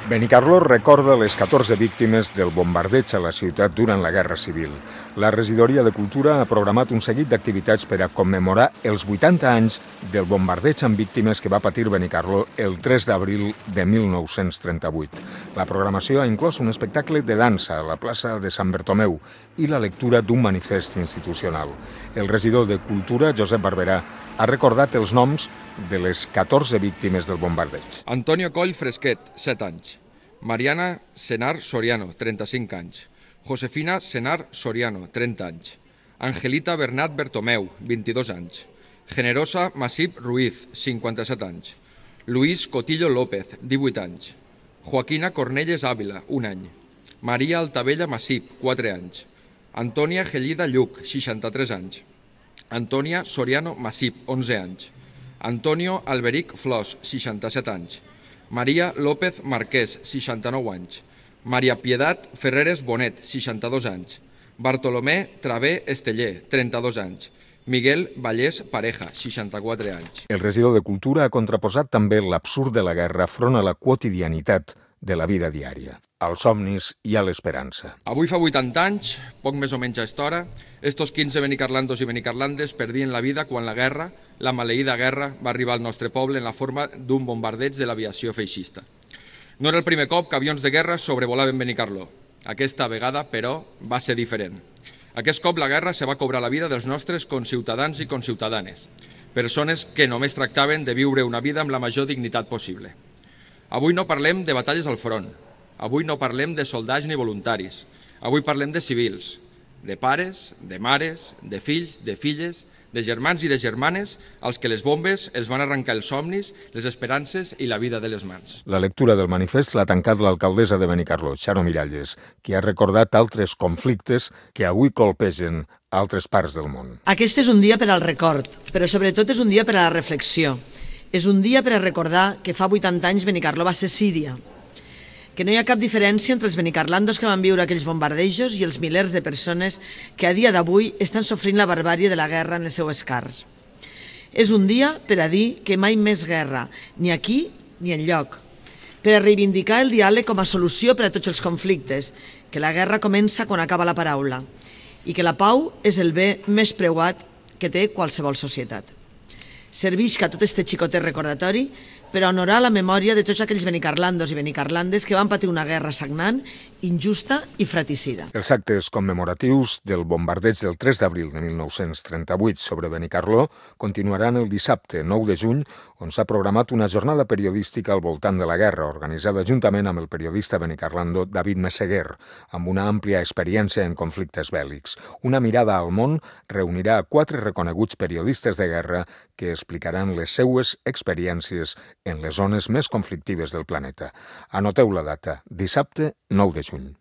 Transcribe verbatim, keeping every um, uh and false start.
Benicarló recorda les catorze víctimes del bombardeig a la ciutat durant la Guerra Civil. La Regidoria de Cultura ha programat un seguit d'activitats per a commemorar els vuitanta anys del bombardeig amb víctimes que va patir Benicarló el tres d'abril de mil nou-cents trenta-vuit. La programació ha inclòs un espectacle de dansa a la plaça de Sant Bertomeu i la lectura d'un manifest institucional. El regidor de Cultura, Josep Barberà, ha recordat els noms de les catorze víctimes del bombardeig. Antonio Coll Fresquet, set anys. Mariana Senar Soriano, trenta-cinc anys. Josefina Senar Soriano, trenta anys. Angelita Bernat Bertomeu, vint-i-dos anys. Generosa Masip Ruiz, cinquanta-set anys. Luis Cotillo López, divuit anys. Joaquina Cornelles Ávila, un any. Maria Altavella Masip, quatre anys. Antònia Gellida Lluc, seixanta-tres anys. Antònia Soriano Masip, onze anys. Antonio Alberic Flors, seixanta-set anys. Maria López Marquès, seixanta-nou anys. Maria Piedat Ferreres Bonet, seixanta-dos anys. Bartolomé Travé Esteller, trenta-dos anys. Miguel Vallès Pareja, seixanta-quatre anys. El regidor de Cultura ha contraposat també l'absurd de la guerra front a la quotidianitat de la vida diària, als somnis i a l'esperança. Avui fa vuitanta anys, poc més o menys a esta hora, estos quinze benicarlandos i benicarlandes perdien la vida quan la guerra, la maleïda guerra, va arribar al nostre poble en la forma d'un bombardeig de l'aviació feixista. No era el primer cop que avions de guerra sobrevolaven Benicarló. Aquesta vegada, però, va ser diferent. Aquest cop la guerra se va cobrar la vida dels nostres conciutadans i conciutadanes, persones que només tractaven de viure una vida amb la major dignitat possible. Avui no parlem de batalles al front, avui no parlem de soldats ni voluntaris, avui parlem de civils, de pares, de mares, de fills, de filles, de germans i de germanes als que les bombes els van arrencar els somnis, les esperances i la vida de les mans. La lectura del manifest l'ha tancat l'alcaldessa de Benicarló, Charo Miralles, que ha recordat altres conflictes que avui colpegen altres parts del món. Aquest és un dia per al record, però sobretot és un dia per a la reflexió. És un dia per a recordar que fa vuitanta anys Benicarló va ser Síria, que no hi ha cap diferència entre els benicarlandos que van viure aquells bombardejos i els milers de persones que a dia d'avui estan sofrint la barbàrie de la guerra en les seues carns. És un dia per a dir que mai més guerra, ni aquí ni enlloc, per a reivindicar el diàleg com a solució per a tots els conflictes, que la guerra comença quan acaba la paraula i que la pau és el bé més preuat que té qualsevol societat. Servisca tot este xicotet recordatori per a honorar la memòria de tots aquells benicarlandos i benicarlandes que van patir una guerra sagnant, injusta i fratricida. Els actes commemoratius del bombardeig del tres d'abril de mil nou-cents trenta-vuit sobre Benicarló continuaran el dissabte nou de juny, on s'ha programat una jornada periodística al voltant de la guerra, organitzada juntament amb el periodista benicarlando David Meseguer, amb una àmplia experiència en conflictes bèl·lics. Una mirada al món reunirà quatre reconeguts periodistes de guerra que explicaran les seues experiències en les zones més conflictives del planeta. Anoteu la data, dissabte nou de juny.